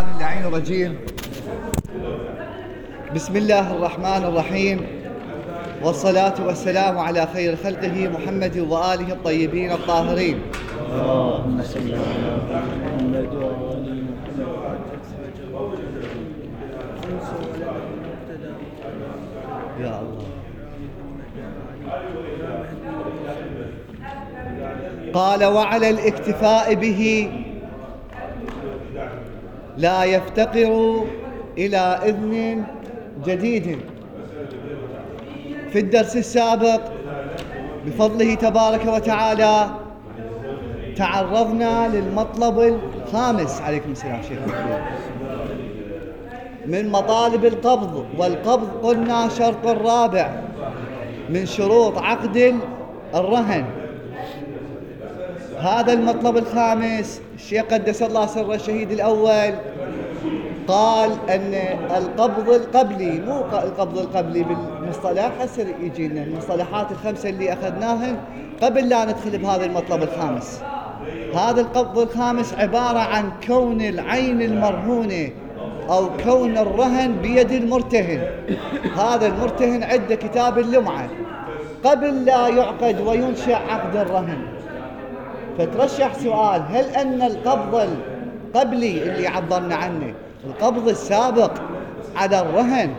اللعين الرجيم. بسم الله الرحمن الرحيم، والصلاة والسلام على خير خلقه محمد وآله الطيبين الطاهرين. اللهم صل على محمد وآل محمد. يا الله. قال: وعلى الاكتفاء به لا يفتقر إلى إذن جديد. في الدرس السابق بفضله تبارك وتعالى تعرضنا للمطلب الخامس، عليكم السلام شيخ، من مطالب القبض، والقبض قلنا شرط الرابع من شروط عقد الرهن. هذا المطلب الخامس الشيخ قدس الله سر الشهيد الأول قال أن القبض القبلي، مو القبض القبلي بالمصطلح، هسه يجينا المصطلحات الخمسة اللي أخذناهن قبل لا ندخل بهذا المطلب الخامس. هذا القبض الخامس عبارة عن كون العين المرهونة أو كون الرهن بيد المرتهن. هذا المرتهن عنده كتاب اللمعة قبل لا يعقد وينشأ عقد الرهن. فترشح سؤال: هل أن القبض القبلي اللي عبرنا عنه، القبض السابق على الرهن،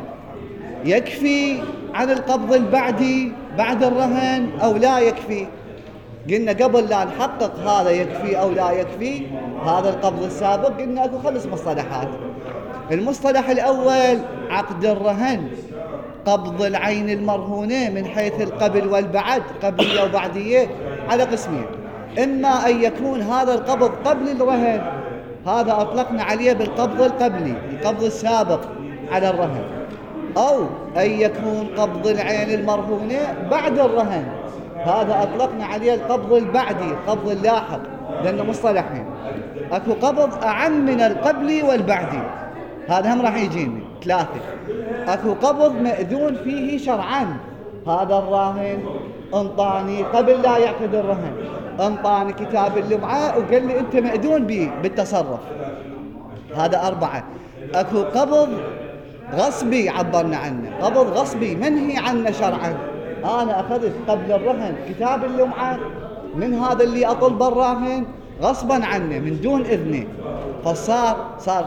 يكفي عن القبض البعدي بعد الرهن أو لا يكفي؟ قلنا قبل لا نحقق هذا يكفي أو لا يكفي هذا القبض السابق، قلنا أكو 5 مصطلحات. المصطلح الأول عقد الرهن، قبض العين المرهونة من حيث القبل والبعد، قبلية وبعدية، على قسمين: إما أن يكون هذا القبض قبل الرهن، هذا أطلقنا عليه بالقبض القبلي، القبض السابق على الرهن، أو أن يكون قبض العين المرهونة بعد الرهن، هذا أطلقنا عليه القبض البعدي، القبض اللاحق، لأنه مصطلحين. أكو قبض أعم من القبلي والبعدي، هذا هم راح يجيني 3. أكو قبض مأذون فيه شرعا، هذا الراهن انطاني قبل لا يعقد الرهن، انطاني كتاب اللمعة وقال لي أنت مأذون به بالتصرف، هذا 4. أكو قبض غصبي عبرنا عنه، قبض غصبي منهي عنه شرعا، أنا أخذت قبل الرهن كتاب اللمعة من هذا اللي أطلب الراهن غصبا عنه من دون إذنه، فصار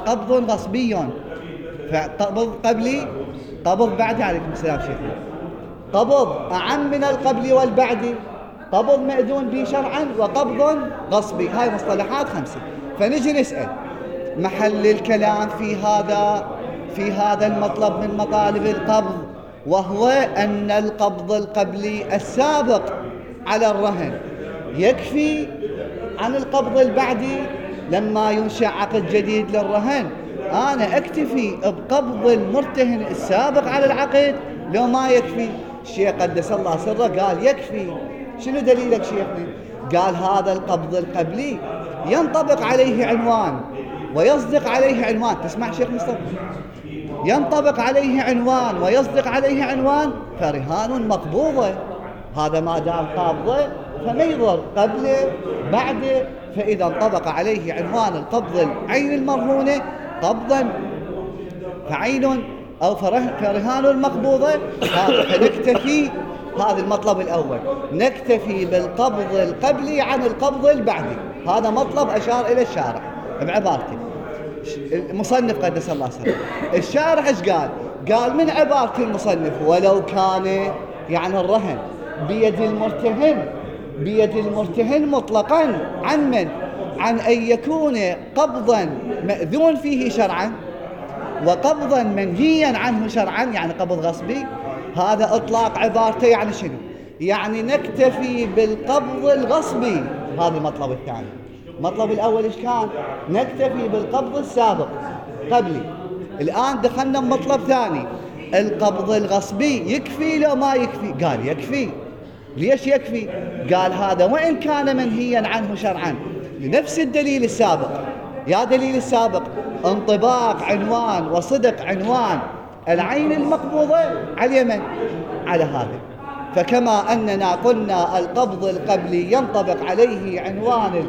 قبض غصبي. فقبض قبلي، قبض بعدي، عليكم السلام شيخ، قبض أعم من القبل والبعدي، قبض مأذون به شرعا، وقبض غصبي. هاي مصطلحات 5. فنجي نسأل محل الكلام في هذا المطلب من مطالب القبض، وهو أن القبض القبلي السابق على الرهن يكفي عن القبض البعدي لما ينشأ عقد جديد للرهن. أنا أكتفي بقبض المرتهن السابق على العقد لو ما يكفي؟ الشيخ قدس الله سره قال يكفي. شنو دليلك شيخنا؟ قال هذا القبض القبلي ينطبق عليه عنوان ويصدق عليه عنوان. تسمع شيخ مصطفى؟ ينطبق عليه عنوان ويصدق عليه عنوان، فرهان مقبوضة، هذا ما دام قابضة فما يضر قبله بعده. فإذا انطبق عليه عنوان القبض العين المرهونة قبضا فعين أو فرهان مقبوضة، فنكتفي. هذا المطلب الأول، نكتفي بالقبض القبلي عن القبض البعدي. هذا مطلب أشار إلى الشارع بعبارته. المصنف قدس الله سره، الشارع ايش قال؟ قال من عبارة المصنف: ولو كان يعني الرهن بيد المرتهن مطلقا، عن من؟ عن أن يكون قبضا مأذون فيه شرعا وقبضا منهيا عنه شرعا، يعني قبض غصبي. هذا إطلاق عبارته يعني شنو؟ يعني نكتفي بالقبض الغصبي. هذا المطلب الثاني. المطلب الأول إيش كان؟ نكتفي بالقبض السابق قبلي. الآن دخلنا بمطلب ثاني، القبض الغصبي يكفي لو ما يكفي؟ قال يكفي. ليش يكفي؟ قال هذا وإن كان منهيا عنه شرعا لنفس الدليل السابق. يا دليل السابق انطباق عنوان وصدق عنوان العين المقبوضة على اليمن، على هذا. فكما أننا قلنا القبض القبلي ينطبق عليه عنوان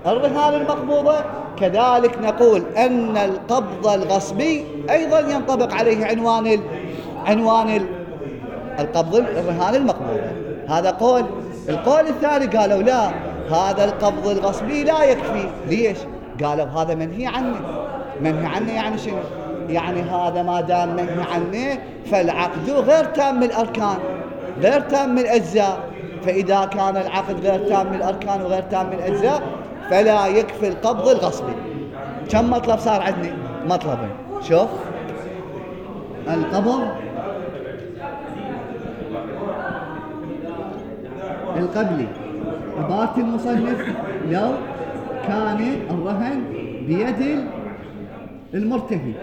الرهان المقبوضة، كذلك نقول أن القبض الغصبي أيضا ينطبق عليه عنوان القبض الرهان المقبوضة. هذا قول. القول الثاني قالوا لا، هذا القبض الغصبي لا يكفي. ليش؟ قالوا هذا منهي عنه. منهي عنه يعني شنو؟ يعني هذا ما دام منهي عنه فالعقد غير تام من الأركان، غير تام من الأجزاء. فإذا كان العقد غير تام من الأركان وغير تام من الأجزاء فلا يكفي القبض الغصبي. كم مطلب صار عندنا؟ مطلبين. شوف، القبض القبلي. عبارة المصنف لو كان الرهن بيد المرتهن.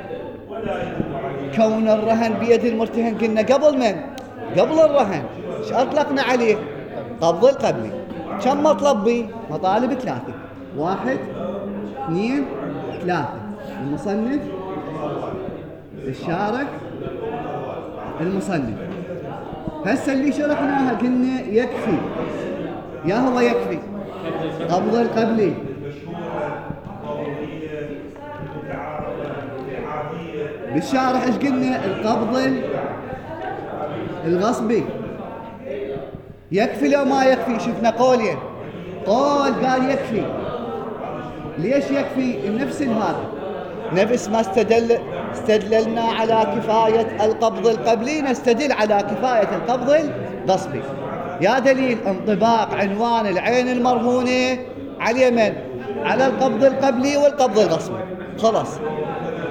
كون الرهن بيد المرتهن قلنا قبل من؟ قبل الرهن ايش اطلقنا عليه؟ قبض القبلي. كم مطلب بي؟ مطالب 3. 1 2 3. المصنف، الشارح، المصنف. هسه اللي شرحناها قلنا يكفي، يا هو يكفي قبض القبلي. بالشارح ايش قلنا؟ القبض الغصبي. يكفي لو ما يكفي؟ شفنا قولين. قول قال يكفي. ليش يكفي؟ نفس هذا، نفس ما استدللنا على كفاية القبض القبلي نستدل على كفاية القبض الغصبي. يا دليل انطباق عنوان العين المرهونة على اليمن، على القبض القبلي والقبض الغصبي. خلاص.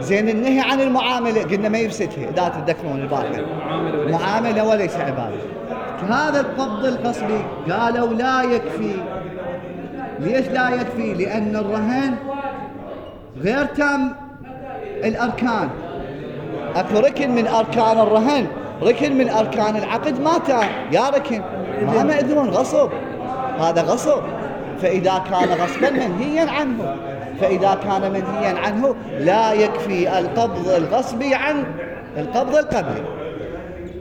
زين، النهي عن المعاملة قلنا ما يفسدها، إذا تتذكرون البارحة، معاملة وليس عبادة. هذا القبض الغصبي قالوا لا يكفي. ليش لا يكفي؟ لأن الرهن غير تام الأركان. أكو ركن من أركان الرهن، ركن من أركان العقد ما تام. يا ركن ما مأذون، غصب، هذا غصب. فإذا كان غصبا منهيا عنه، فإذا كان منهيا عنه لا يكفي القبض الغصبي عن القبض القبلي.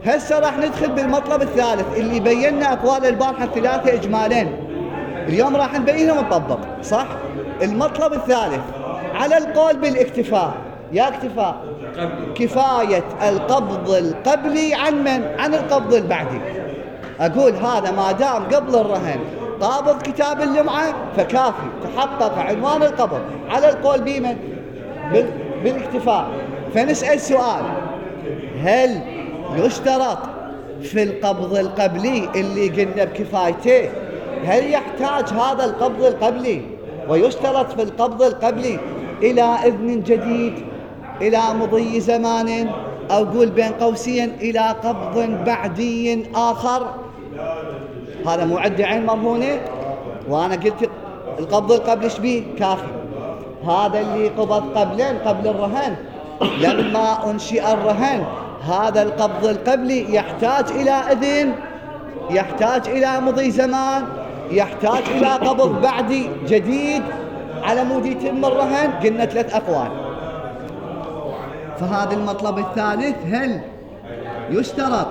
هسه راح ندخل بالمطلب الثالث اللي بينا أقوال البارحة 3 إجمالين، اليوم راح نبينهم ونطبق. صح؟ المطلب الثالث على القول بالاكتفاء. يا اكتفاء كفاية القبض القبلي عن من؟ عن القبض البعدي. أقول هذا ما دام قبل الرهن قابض كتاب اللمعة فكافي، تحقق عنوان القبض على القول بمن؟ بالاكتفاء. فنسأل سؤال، هل يشترط في القبض القبلي اللي قلنا بكفايته، هل يحتاج هذا القبض القبلي ويشترط في القبض القبلي إلى إذن جديد، إلى مضي زمان، أو قول بين قوسين إلى قبض بعدي آخر؟ هذا مو عندي عين مرهونة، وأنا قلت القبض القبلي شبيه؟ كافي. هذا اللي قبض قبل الرهن، لما أنشئ الرهن هذا القبض القبلي يحتاج إلى إذن، يحتاج إلى مضي زمان، يحتاج إلى قبض بعدي جديد على مود يتم الرهن. قلنا 3 أقوال. فهذا المطلب الثالث، هل يشترط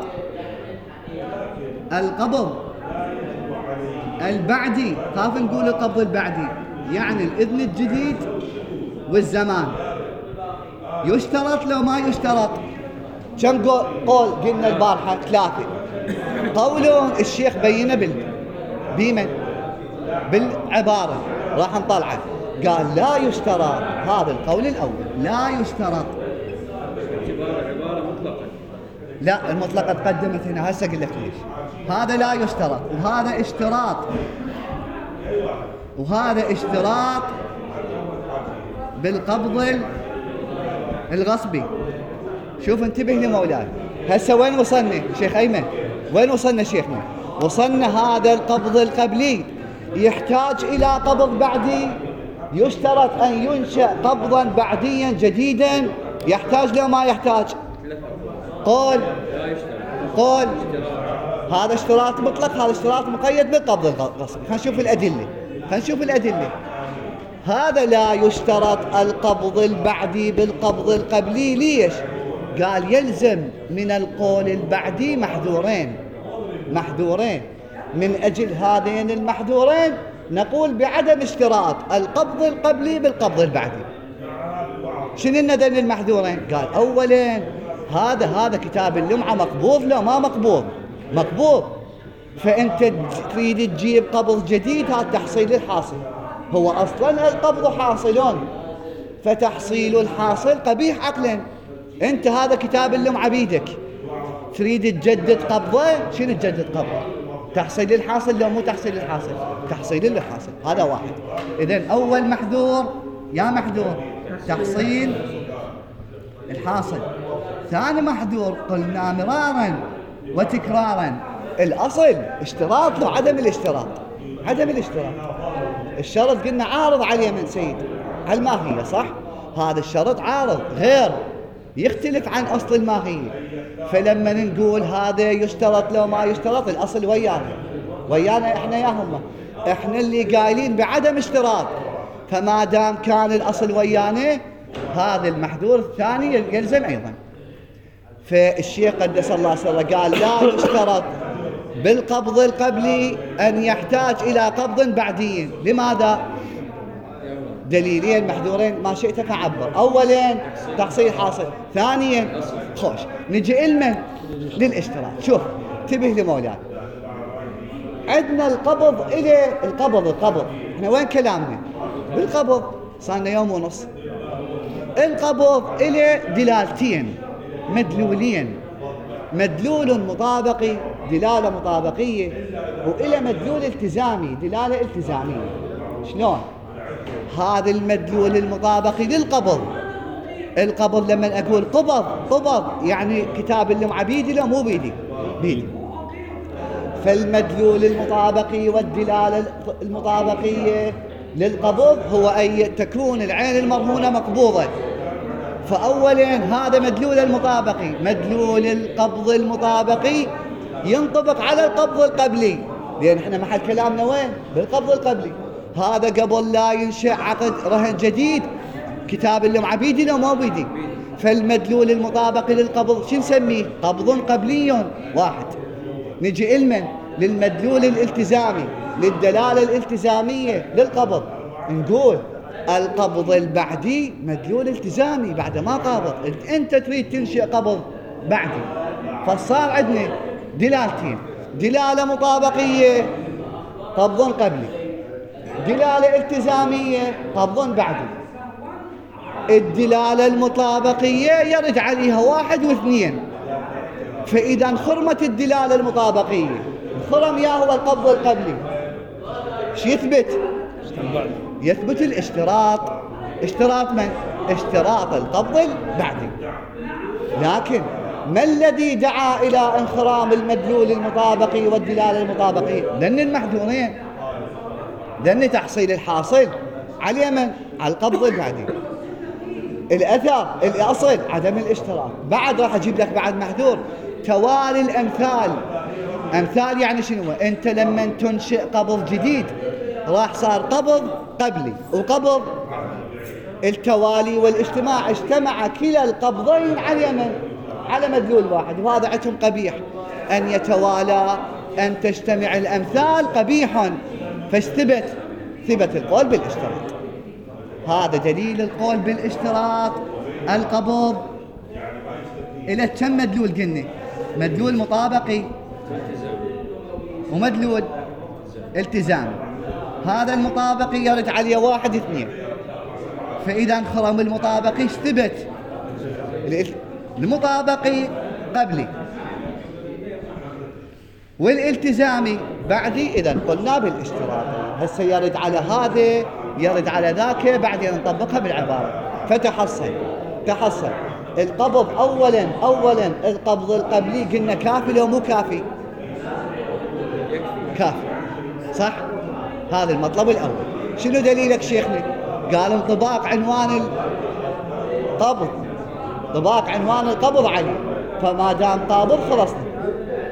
القبض البعدي؟ خاف نقول القبض البعدي يعني الإذن الجديد والزمان. يشترط لو ما يشترط؟ كم قول قلنا البارحة؟ 3. قولون الشيخ بينه بمن؟ بالعبارة، راح نطلعه. قال لا يشترط. هذا القول الأول، لا يشترط. عبارة مطلقة. لا، المطلقة تقدمت هنا، هسه قلت ليش. هذا لا يشترط، وهذا اشتراط، وهذا اشتراط بالقبض الغصبي. شوف انتبه لمولاي. هسه وين وصلنا شيخ أيمن؟ وين وصلنا شيخنا؟ وصلنا هذا القبض القبلي يحتاج إلى قبض بعدي. يشترط أن ينشأ قبضا بعديا جديدا. يحتاج لو ما يحتاج؟ قول هذا اشتراط مطلق، هذا اشتراط مقيد بالقبض الغصبي. خلينا نشوف الأدلة. هذا لا يشترط القبض البعدي بالقبض القبلي. ليش؟ قال يلزم من القول البعدي محذورين. من أجل هذين المحذورين نقول بعدم اشتراط القبض القبلي بالقبض البعدي. شنو الندن المحذورين؟ قال أولا هذا كتاب اللمعة مقبوض لو ما مقبوض؟ مقبوض. فأنت تريد تجيب قبض جديد، هذا تحصيل الحاصل. هو أصلا القبض حاصلون، فتحصيل الحاصل قبيح عقلا. أنت هذا كتاب اللمعة بيدك، تريد تجدد قبضه. شنو تجدد قبضه؟ تحصيل الحاصل لو مو تحصيل الحاصل؟ تحصيل الحاصل. هذا واحد. إذن أول محذور يا محذور تحصيل الحاصل. ثاني محذور قلنا مرارا وتكرارا الأصل اشتراط له عدم الاشتراط. عدم الاشتراط الشرط قلنا عارض عليه من سيد على الماهية، صح؟ هذا الشرط عارض غير يختلف عن أصل الماهية. فلما نقول هذا يشترط لو ما يشترط، الأصل ويانا احنا يا هم، احنا اللي قايلين بعدم اشتراط. فما دام كان الأصل ويانا، هذا المحذور الثاني يلزم أيضا. فالشيخ قدس الله سره قال لا يشترط بالقبض القبلي أن يحتاج إلى قبض بعدي. لماذا؟ دليلين محذورين ما شئت فعبر. أولا تحصيل حاصل، ثانيا خوش نجي إلمن للاشتراط. شوف انتبه لمولانا، عندنا القبض إلى القبض. احنا وين كلامنا؟ بالقبض صارنا يوم ونص. القبض إلى دلالتين مدلولين، مدلول مطابقي دلالة مطابقية، وإلى مدلول التزامي دلالة التزامية. شلون؟ هذا المدلول المطابقي للقبض. القبض لما أقول قبض يعني كتاب اللمعة بيدي لا مو بيدي؟ بيدي. فالمدلول المطابقي والدلالة المطابقية للقبض هو أن تكون العين المرهونة مقبوضة. فأولا هذا مدلول المطابقي. مدلول القبض المطابقي ينطبق على القبض القبلي، لأن احنا محل كلامنا وين؟ بالقبض القبلي. هذا قبل لا ينشأ عقد رهن جديد كتاب اللمعة بيدي لو ما بيدي. فالمدلول المطابقي للقبض شو نسميه؟ قبض قبلي واحد. نجي إلمن للمدلول الالتزامي للدلالة الالتزامية للقبض، نقول القبض البعدي مدلول التزامي بعد ما قابض. انت تريد تنشئ قبض بعدي، فصار عندنا دلالتين، دلالة مطابقية قبض قبلي، دلالة التزامية قبض بعدي. الدلالة المطابقية يرد عليها 1 و2. فإذا انخرمت الدلالة المطابقية، انخرم يا هو القبض القبلي، شو يثبت؟ يثبت الاشتراط. اشتراط من؟ اشتراط القبض البعدي. لكن ما الذي دعا إلى انخرام المدلول المطابقي والدلالة المطابقية؟ لأن المحذورين، لأن تحصيل الحاصل على من؟ على القبض البعدي. الأثر الأصل عدم الاشتراط. بعد راح أجيب لك بعد محذور توالي الأمثال. أمثال يعني شنو؟ أنت لما تنشئ قبض جديد راح صار قبض قبلي وقبض التوالي والاجتماع، اجتمع كلا القبضين على من؟ على مدلول واحد. وهذا عندهم قبيح أن يتوالى، أن تجتمع الأمثال قبيح. فاستبت القول بالاشتراط. هذا دليل القول بالاشتراط. القبض إلى كم مدلول قلنا؟ مدلول مطابقي ومدلول التزامي. هذا المطابقي يرد عليه 1 و2. فإذا انخرم المطابقي استبت المطابقي قبلي والالتزامي بعدي. إذا قلنا بالاشتراط. هسه يرد على هذا يرد على ذاك، بعدين نطبقها بالعبارة. فتحصل القبض أولا القبض القبلي قلنا كافي لو مو كافي؟ كافي، صح؟ هذا المطلب الأول. شنو دليلك شيخنا؟ قال انطباق عنوان القبض، انطباق عنوان القبض عليه. فما دام قابض خلصنا.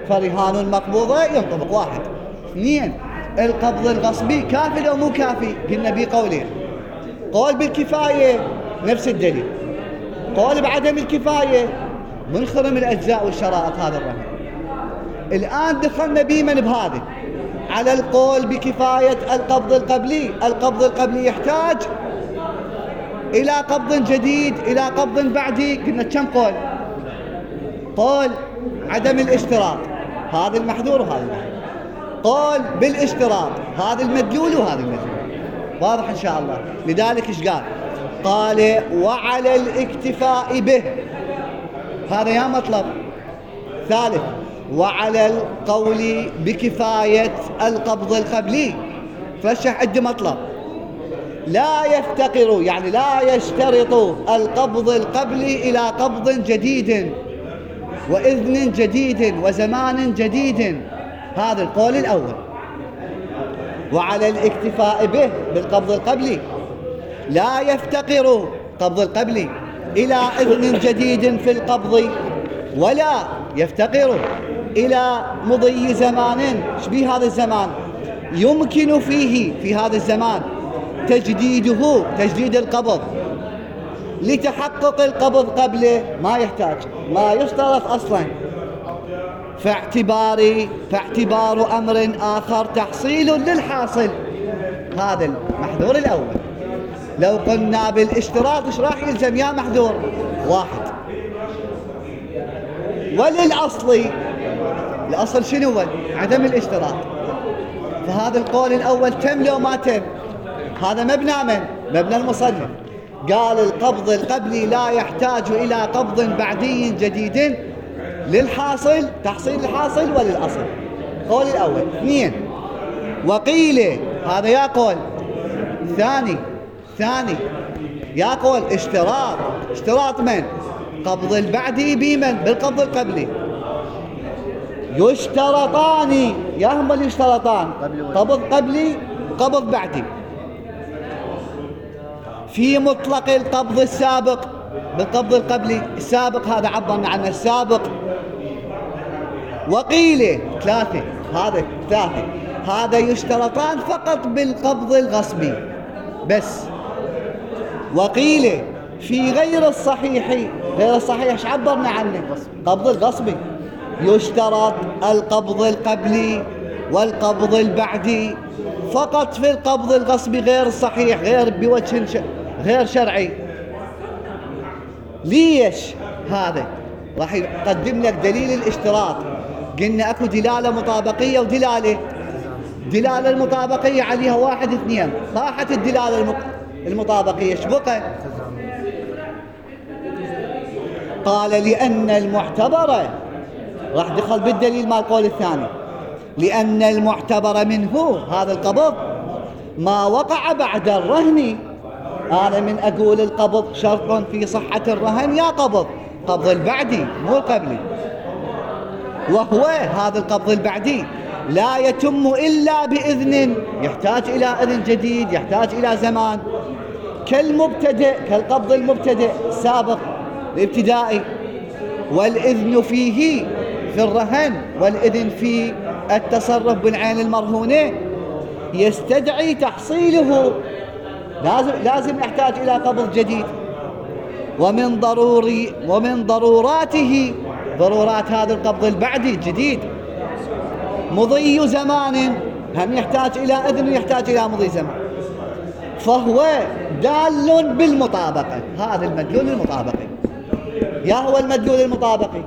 فرهان المقبوضة ينطبق 1. 2 القبض الغصبي كافي لو مو كافي؟ قلنا بقولين. قول بالكفاية نفس الدليل، قول بعدم الكفاية منخرم الأجزاء والشرائط هذا الرهن. الآن دخلنا بيمن بهذا على القول بكفاية القبض القبلي. القبض القبلي يحتاج إلى قبض جديد، إلى قبض بعدي. قلنا كم قول؟ قول عدم الاشتراط، هذا المحذور وهذا المحذور. قول بالاشتراط، هذا المدلول وهذا المدلول. واضح إن شاء الله. لذلك إيش قال؟ قال وعلى الاكتفاء به، هذا يا مطلب. ثالث، وعلى القول بكفاية القبض القبلي. فرشح عندي مطلب، لا يفتقر يعني لا يشترط القبض القبلي إلى قبض جديد وإذن جديد وزمان جديد. هذا القول الأول. وعلى الاكتفاء به بالقبض القبلي، لا يفتقر قبض القبلي إلى إذن جديد في القبض، ولا يفتقر إلى مضي زمان. شبيه هذا الزمان؟ يمكن فيه في هذا الزمان تجديده، تجديد القبض لتحقق القبض قبله. ما يحتاج، ما يشترط أصلا. فاعتبار أمر آخر تحصيل للحاصل. هذا المحذور الأول. لو قلنا بالاشتراط ايش راح يلزم يا محذور؟ واحد. وللأصل، الأصل شنو هو؟ عدم الاشتراط. فهذا القول الأول تم لو ما تم؟ هذا مبنى من؟ مبنى المصنف. قال القبض القبلي لا يحتاج إلى قبض بعدي جديد للحاصل، تحصيل الحاصل وللأصل. قول الأول. اثنين، وقيل، هذا يا قول. ثاني يا قول اشتراط من؟ قبض البعدي بمن؟ بالقبض القبلي. يشترطان، يا هم اللي يشترطان، قبض قبلي وقبض بعدي في مطلق القبض السابق. بالقبض القبلي السابق هذا عبرنا عنه السابق. وقيل ثلاثة، هذا يشترطان فقط بالقبض الغصبي بس. وقيل في غير الصحيح، غير الصحيح ايش عبرنا عنه؟ قبض الغصبي. يشترط القبض القبلي والقبض البعدي فقط في القبض الغصبي غير الصحيح، غير بوجه غير شرعي. ليش؟ هذا راح يقدم لك دليل الاشتراط. قلنا اكو دلالة مطابقية ودلالة. دلالة المطابقية عليها 1 2. طاحت الدلالة المطابقية ايش بقى؟ قال لأن المعتبر، راح دخل بالدليل مال القول الثاني، لأن المعتبر منه هذا القبض ما وقع بعد الرهن. أنا من أقول القبض شرط في صحة الرهن يا قبض البعدي مو القبلي. وهو هذا القبض البعدي لا يتم إلا بإذن، يحتاج إلى إذن جديد، يحتاج إلى زمان. كالمبتدئ، كالقبض المبتدئ السابق الابتدائي. والإذن فيه في الرهن والإذن في التصرف بالعين المرهونة يستدعي تحصيله. لازم يحتاج إلى قبض جديد. ومن ضروراته، ضرورات هذا القبض البعدي الجديد، مضي زمان، هم يحتاج إلى إذن ويحتاج إلى مضي زمان. فهو دال بالمطابقة. هذا المدلول المطابقي. يا هو المدلول المطابقي؟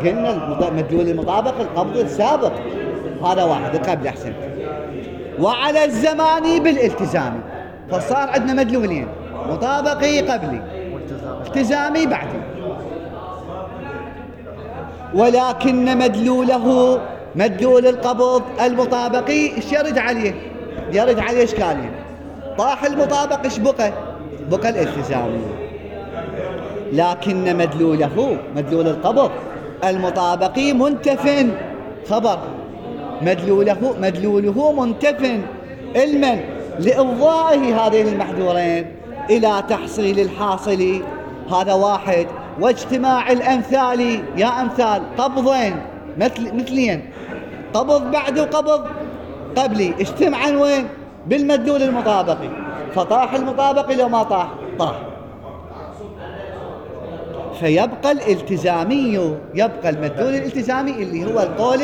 قلنا المدلول المطابق القبض السابق، هذا واحد قبل أحسن. وعلى الزمان بالالتزام. فصار عندنا مدلولين، مطابقي قبلي، التزامي بعدي. ولكن مدلوله، مدلول القبض المطابقي ايش يرد عليه؟ يرد عليه اشكالين. طاح المطابق ايش بقى؟ بقى الالتزامي. لكن مدلوله، مدلول القبض المطابقي منتف. خبر مدلوله منتف علما لإفضائه هذين المحذورين إلى تحصيل الحاصل. هذا واحد. واجتماع الأمثال، يا أمثال قبضين مثلين، قبض بعد وقبض قبلي، اجتمعا وين؟ بالمدلول المطابقي. فطاح المطابقي لو ما طاح فيبقى الالتزامي، يبقى المدلول الالتزامي اللي هو القول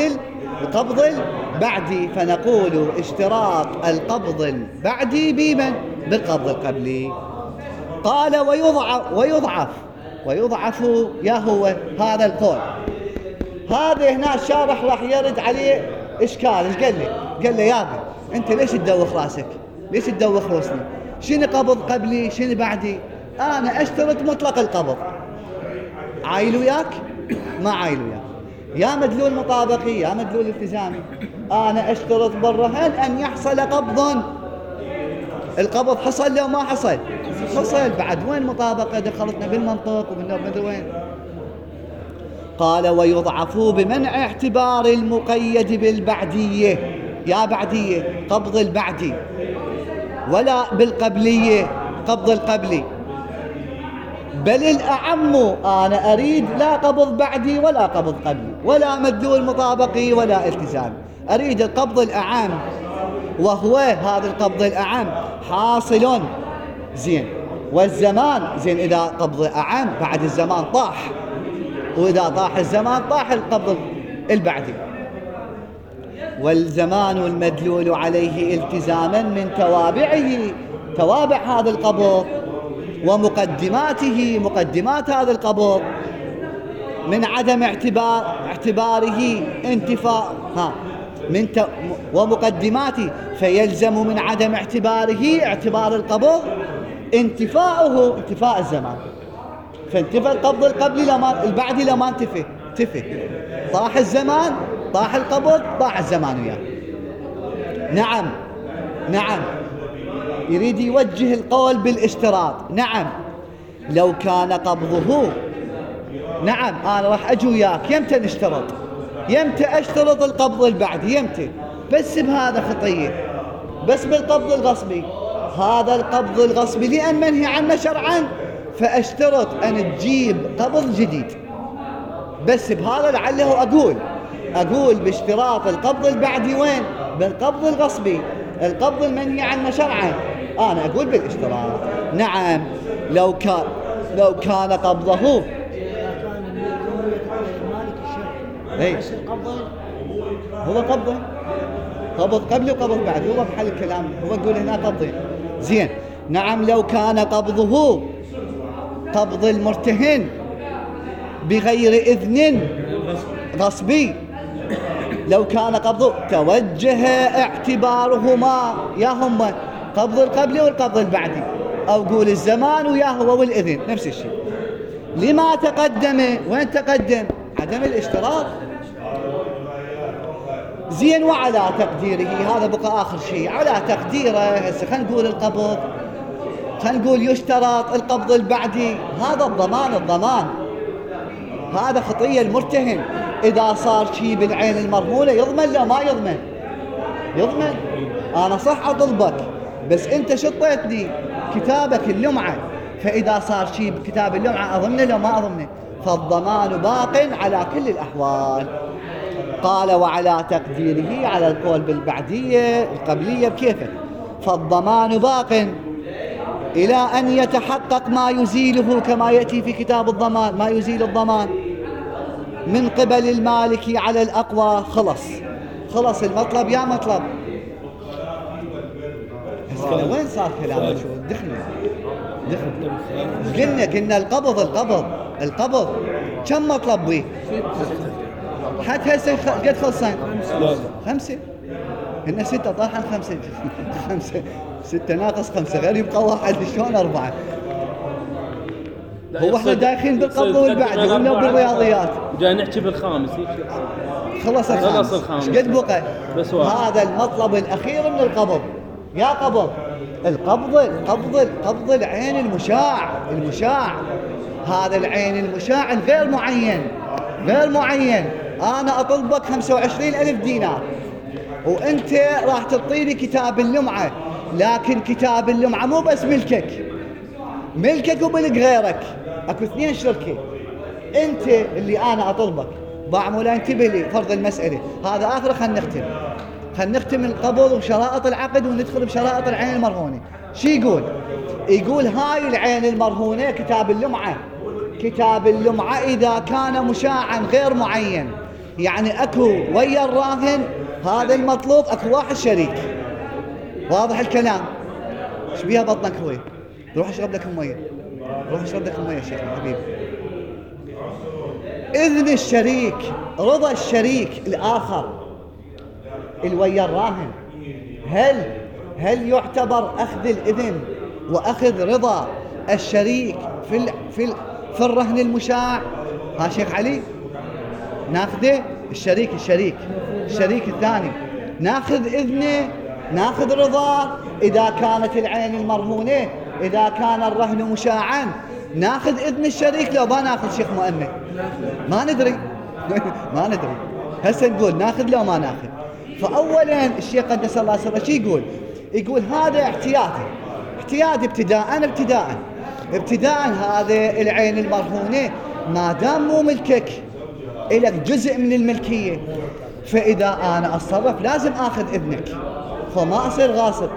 القبض البعدي، فنقول اشتراط القبض البعدي بمن؟ بالقبض القبلي. قال ويضعف يا هو هذا القول. هذا هنا الشارح راح يرد عليه إشكال. إيش قال لي؟ قال لي يابا أنت ليش تدوخ راسك؟ ليش تدوخ روسني؟ شنو قبض قبلي؟ شنو بعدي؟ أنا أشترط مطلق القبض. عايل وياك؟ ما عايل وياك. يا مدلول مطابقي يا مدلول التزامي. أنا أشترط برهن أن يحصل قبض. القبض حصل لو ما حصل؟ حصل. بعد وين مطابقة؟ دخلتنا بالمنطق ومدري وين. قال ويضعف بمنع اعتبار المقيد بالبعدية. يا بعدية قبض البعدي، ولا بالقبلية قبض القبلي، بل الأعم أنا أريد لا قبض بعدي ولا قبض قبلي ولا مدلول مطابقي ولا التزام، أريد القبض الأعم، وهو هذا القبض الأعم حاصل زين. والزمان زين، إذا قبض أعم بعد الزمان طاح، وإذا طاح الزمان طاح القبض البعدي. والزمان المدلول عليه التزاما من توابع هذا القبض ومقدماته، مقدمات هذا القبض، من عدم اعتباره انتفاء ومقدماته، فيلزم من عدم اعتباره اعتبار القبض انتفاء الزمان. فانتفى القبض القبلي البعدي لما انتفى طاح الزمان، طاح القبض، طاح الزمان وياه. نعم يريد يوجه القول بالاشتراط. نعم لو كان قبضه، نعم أنا راح أجي وياك يمتى نشترط، يمتى أشترط القبض البعدي، يمتى؟ بس بهذا خطية، بس بالقبض الغصبي. هذا القبض الغصبي لأن منهي عنه شرعا، فأشترط أن تجيب قبض جديد. بس بهذا لعله أقول باشتراط القبض البعدي وين؟ بالقبض الغصبي، القبض المنهي عنه شرعا، أنا أقول بالاشتراط. نعم لو كان قبضه هو قبض قبل وقبض بعد، هو بحل الكلام، هو يقول هنا قبضين. زين. نعم لو كان قبضه قبض المرتهن بغير إذن غصبي، لو كان قبضه توجه اعتبارهما ياهما قبض القبلي والقبض البعدي، أو قول الزمان وياهو والإذن نفس الشيء. لما تقدم؟ وين تقدم؟ عدم الاشتراط. زين. وعلى تقديره، هذا بقى آخر شيء، على تقديره هسه خلينا نقول القبض، خلينا نقول يشترط القبض البعدي، هذا الضمان هذا خطية المرتهن. إذا صار شيء بالعين المرهونة يضمن لو ما يضمن. أنا صح أطلبك بس أنت شطيتني كتابك اللمعة، فإذا صار شيء بكتاب اللمعة أضمنه لو ما أضمنه، فالضمان باق على كل الأحوال. قال وعلى تقديره، على القول بالبعدية القبلية بكيفه، فالضمان باق إلى أن يتحقق ما يزيله، كما يأتي في كتاب الضمان ما يزيل الضمان من قبل المالك على الأقوى. خلص المطلب يا مطلب. وين صار كلامه؟ شو دخلنا قلنا القبض كم مطلب بيه؟ حتى هسه قد خلصين 5 هن 6 طاحن 5 6 ناقص 5 غير يبقى 1 شلون 4؟ هو احنا داخلين بالقبض والبعد ولا بالرياضيات؟ جاي نحكي بالخامس. خلص الخامس. ايش قد بقى؟ هذا المطلب الأخير من القبض. يا قبض القبض العين المشاع، هذا العين المشاع الغير معين. أنا أطلبك 25,000 دينار وأنت راح تعطيني كتاب اللمعة، لكن كتاب اللمعة مو بس ملكك وملك غيرك، أكو 2 شركة. أنت اللي أنا أطلبك بعمله، انتبه لي فرض المسألة هذا آخر. خلينا نختم القبض وشرائط العقد وندخل بشرائط العين المرهونة. شو يقول هاي العين المرهونة، كتاب اللمعة إذا كان مشاعا غير معين يعني اكو ويا الراهن هذا المطلوب اكو واحد شريك. واضح الكلام؟ ايش بيها بطنك هوي؟ روح اشرب لك المية، روح اشرب لك المية يا شيخ حبيبي. اذن الشريك، رضا الشريك الاخر الويا الراهن، هل يعتبر اخذ الاذن واخذ رضا الشريك في الرهن المشاع؟ ها شيخ علي ناخذه الشريك الثاني ناخذ اذنه، ناخذ رضاه. اذا كانت العين المرهونة، اذا كان الرهن مشاعا، ناخذ اذن الشريك لو ما ناخذ شيخ مؤمن؟ ما ندري ما ندري. هسه نقول ناخذ لو ما ناخذ. فاولا الشيخ قدس الله سره شي يقول هذا احتياطي ابتداء هذا العين المرهونة ما دام مو ملكك إلك جزء من الملكية، فإذا أنا أتصرف لازم أخذ إذنك، فما أصير غاصب.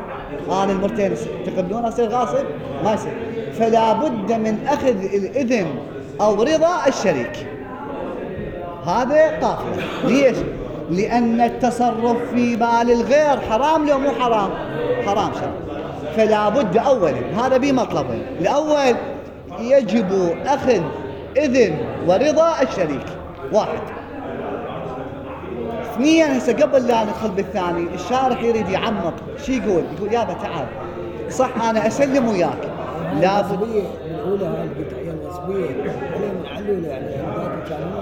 أنا المرتين تقبلون أصير غاصب؟ ما يصير. فلا بد من أخذ الإذن أو رضا الشريك. هذا قاعدة. ليش؟ لأن التصرف في مال الغير حرام لو مو حرام؟ حرام شرعا. فلا بد أولا، هذا بمطلبين: الأول يجب أخذ إذن ورضا الشريك، واحد. اثنيا هسه قبل لا ندخل بالثاني الشارح يريد يعمق. شو يقول يابا تعال، صح أنا أسلم وياك، لا بد الأولى هاي القطعية النسبية عليهم العلولة، يعني ذاك كان هو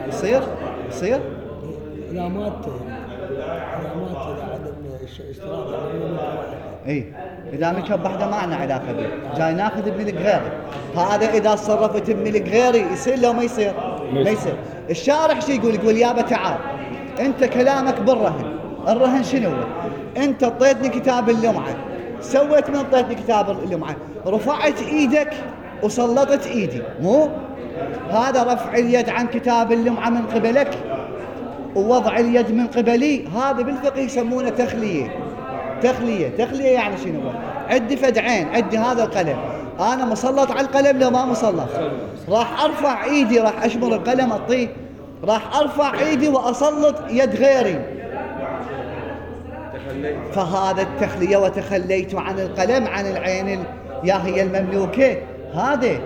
ما يصير إذا مات إذا عدم اشتراك يعني هو اي اذا ملك بحده ما عندنا علاقه به، جاي ناخذ بملك غيري. هذا اذا تصرفت بملك غيري يصير لو ما يصير؟ ما يصير. الشارح شو يقول يابا تعال، انت كلامك بالرهن، الرهن شنو؟ انت اعطيتني كتاب اللمعه، سويت من اعطيتني كتاب اللمعه؟ رفعت ايدك وسلطت ايدي، مو هذا رفع اليد عن كتاب اللمعه من قبلك ووضع اليد من قبلي. هذا بالفقه يسمونه تخلية يعني شنو؟ عندي فدعين، عندي هذا القلم، أنا مسلط على القلم لو ما مسلط؟ راح أرفع إيدي، راح أشمر القلم أطيه، راح أرفع إيدي وأسلط يد غيري، فهذا التخلية. وتخليت عن القلم عن العين يا هي المملوكة. هذا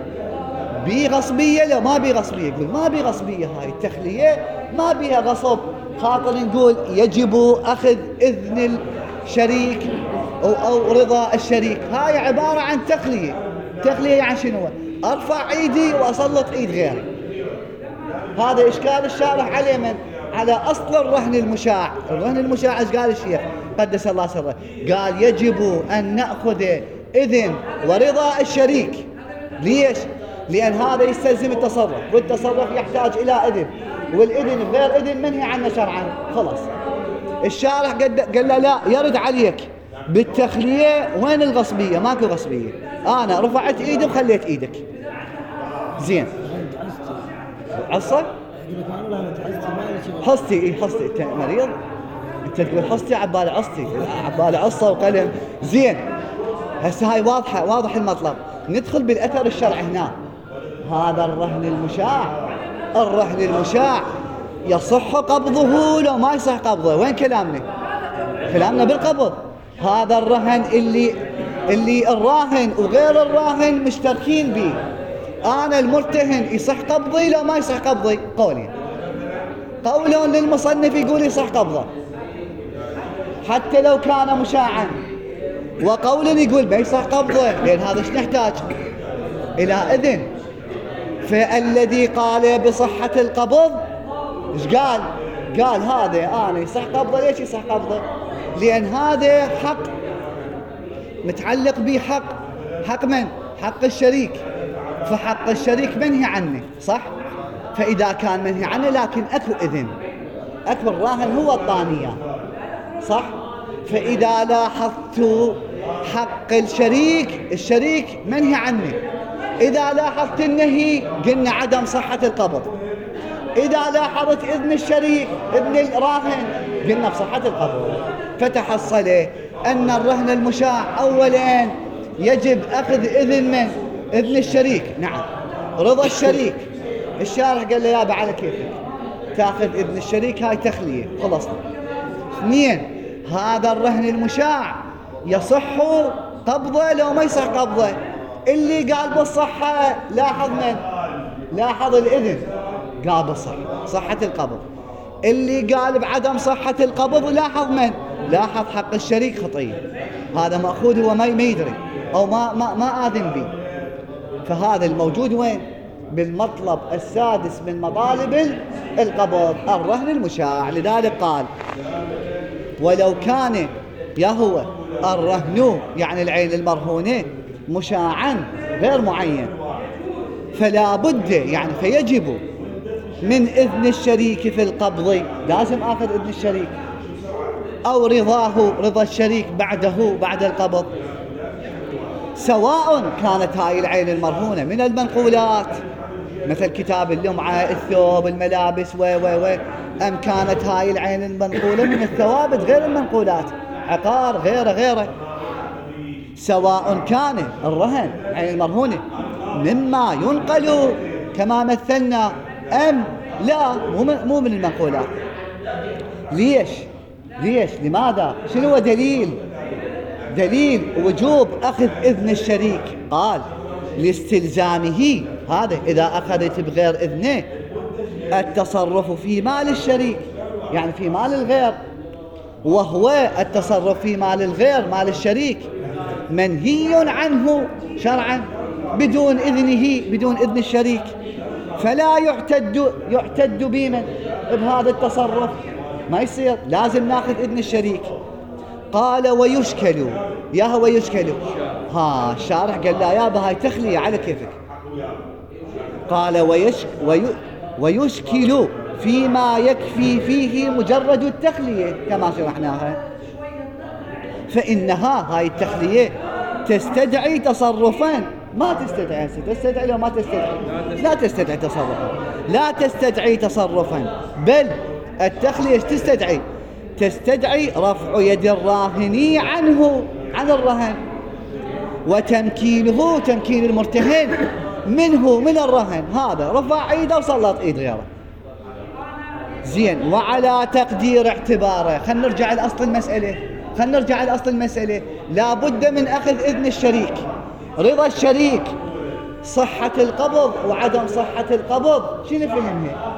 بغصبية لو ما بغصبية؟ يقول ما بغصبية، هاي التخلية ما بها غصب. خاطر نقول يجب أخذ إذن الشريك أو رضا الشريك. هاي عبارة عن تخلية يعني شنو؟ أرفع إيدي وأسلط إيد غيري. هذا إشكال الشارح عليه من؟ على أصل الرهن المشاع. الرهن المشاع إيش قال الشيخ قدس الله سره؟ قال يجب أن نأخذ إذن ورضا الشريك. ليش؟ لأن هذا يستلزم التصرف، والتصرف يحتاج إلى إذن، والإذن بغير إذن منهي عنه شرعا. خلاص الشارح قال له لا، يرد عليك بالتخلية. وين الغصبية؟ ماكو غصبية، أنا رفعت إيدي وخليت إيدك. زين عصا حصتي حصتي. أنت مريض؟ أنت تقول حصتي عبالي عصتي، عبالي عصا وقلم. زين هسه هاي واضح المطلب. ندخل بالأثر الشرعي هنا. هذا الرهن المشاع يصح قبضه لو ما يصح قبضه؟ وين كلامنا؟ كلامنا بالقبض. هذا الرهن اللي الراهن وغير الراهن مشتركين به. أنا المرتهن يصح قبضي لو ما يصح قبضي؟ قول للمصنف يقول يصح قبضه حتى لو كان مشاعا، وقول يقول ما يصح قبضه، لأن هذا ايش نحتاج؟ إلى إذن. فالذي قال بصحة القبض ايش قال؟ قال هذا أنا يصح قبضه. ليش يصح قبضه؟ لأن هذا حق متعلق به، حق من؟ حق الشريك. فحق الشريك منهي عنه، صح؟ فإذا كان منهي عنه لكن أكو إذن، أكو الراهن هو الطانية، صح؟ فإذا لاحظت حق الشريك منهي عنه. إذا لاحظت النهي قلنا عدم صحة القبض. إذا لاحظت إذن الشريك ابن الراهن قلنا بصحة القبض. فتحصل أن الرهن المشاع أولا يجب أخذ إذن من؟ إذن الشريك، نعم، رضا الشريك. الشارح قال له يابا على كيفك، تاخذ إذن الشريك، هاي تخلية خلصنا. 2 هذا الرهن المشاع يصح قبضه لو ما يصح قبضه. اللي قال بالصحة لاحظ من؟ لاحظ الإذن قال بالصحة، صحة القبض. اللي قال بعدم صحة القبض لاحظ من؟ لاحظ حق الشريك خطية، هذا مأخوذ هو ما يدري أو ما آذن به. فهذا الموجود وين؟ بالمطلب السادس من مطالب القبض، الرهن المشاع. لذلك قال ولو كان يهوى الرهن يعني العين المرهونة مشاعا غير معين فلا بد يعني فيجب من إذن الشريك في القبض، لازم آخذ إذن الشريك، أو رضا الشريك بعد القبض، سواء كانت هاي العين المرهونة من المنقولات مثل كتاب اللمعة، الثوب، الملابس أم كانت هاي العين المنقولة من الثوابت غير المنقولات، عقار غيره. سواء كان الرهن عين المرهونة مما ينقل كما مثلنا أم لا مو من المنقولات. ليش؟ لماذا؟ شنو دليل وجوب أخذ إذن الشريك؟ قال لاستلزامه، هذا إذا أخذت بغير إذنه، التصرف في مال الشريك يعني في مال الغير، وهو التصرف في مال الغير مال الشريك منهي عنه شرعا بدون إذن الشريك، فلا يعتد بمن بهذا التصرف، ما يصير، لازم ناخذ إذن الشريك. قال ويشكل الشارح قال لا يابا هاي تخلية على كيفك. قال ويشكل فيما يكفي فيه مجرد التخلية كما شرحناها، فإنها هاي التخلية تستدعي تصرفا، ما تستدعي لو ما تستدعي، لا تستدعي تصرفا، لا تستدعي تصرفا، بل التخلية تستدعي رفع يد الراهن عن الرهن، وتمكين المرتهن من الرهن، هذا رفع ايده وسلط ايد غيره. زين، وعلى تقدير اعتباره، خلينا نرجع لأصل المسألة، لا بد من أخذ إذن الشريك، رضا الشريك، صحة القبض وعدم صحة القبض، شنو فهمها؟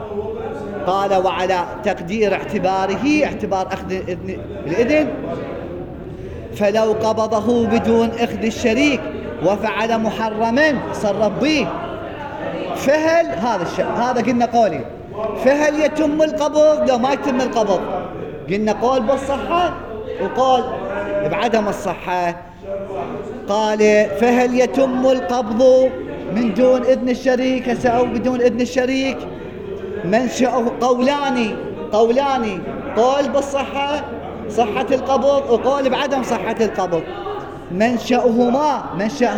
قال وعلى تقدير اعتبار أخذ الإذن، فلو قبضه بدون أخذ الشريك وفعل محرما صرف به، فهل هذا قلنا قولي، فهل يتم القبض لو ما يتم القبض؟ قلنا قول بالصحة وقول بعدم الصحة. قال فهل يتم القبض من دون إذن الشريك أو بدون إذن الشريك؟ منشأه قولان، قول بالصحة صحة القبض وقول بعدم صحة القبض. منشأ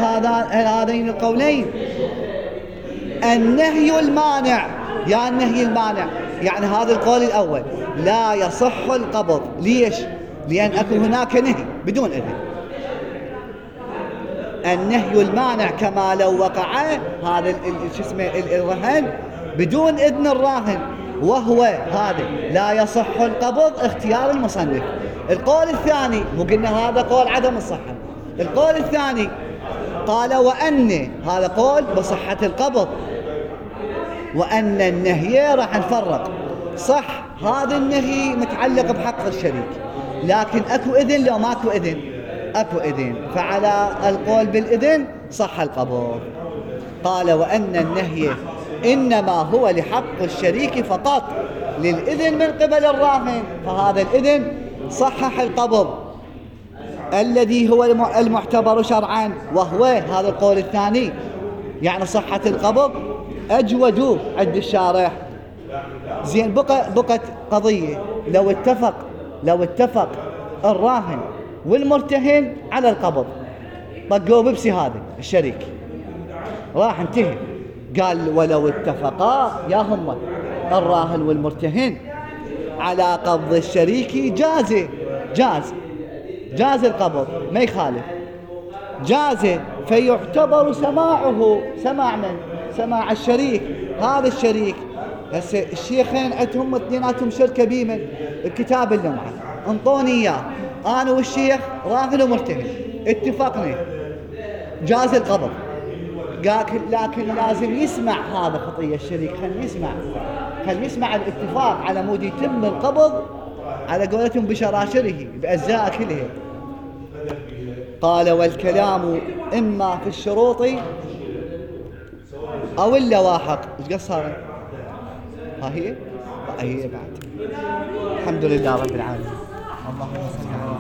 هذين القولين النهي المانع، يعني هذا القول الأول لا يصح القبض. ليش؟ لأن أكو هناك نهي بدون إذن، النهي المانع كما لو وقع هذا الرهن بدون إذن الراهن، وهو هذا لا يصح القبض اختيار المصنف. القول الثاني، مو قلنا هذا قول عدم الصحة، القول الثاني قال وأن هذا قول بصحة القبض، وأن النهي راح نفرق، صح هذا النهي متعلق بحق الشريك، لكن أكو إذن لو ماكو إذن، أكو إذن، فعلى القول بالإذن صح القبض. قال وأن النهي إنما هو لحق الشريك فقط، للإذن من قبل الراهن، فهذا الإذن صحح القبض الذي هو المعتبر شرعا، وهو هذا القول الثاني، يعني صحة القبض أجود عند الشارح. زين، بقت قضية، لو اتفق الراهن والمرتهن على القبض، طقوا ببسي هذا الشريك راح انتهي. قال ولو اتفقا يا هم الراهن والمرتهن على قبض الشريك جاز القبض، ما يخالف، جاز، فيعتبر سماعه سماع من؟ سماع الشريك، هذا الشريك هسه الشيخين عندهم اثنيناتهم شركة بيمن الكتاب اللمعة، انطوني اياه انا والشيخ راهن ومرتهن، اتفقنا جاز القبض. لكن لازم يسمع هذا خطية الشريك، خل يسمع الاتفاق على مود يتم القبض على قولتهم بشراشره بأجزاء كلها. قال والكلام إما في الشروط أو اللواحق. ايش قصها؟ ها هي بعد. الحمد لله رب العالمين. اللهم صل على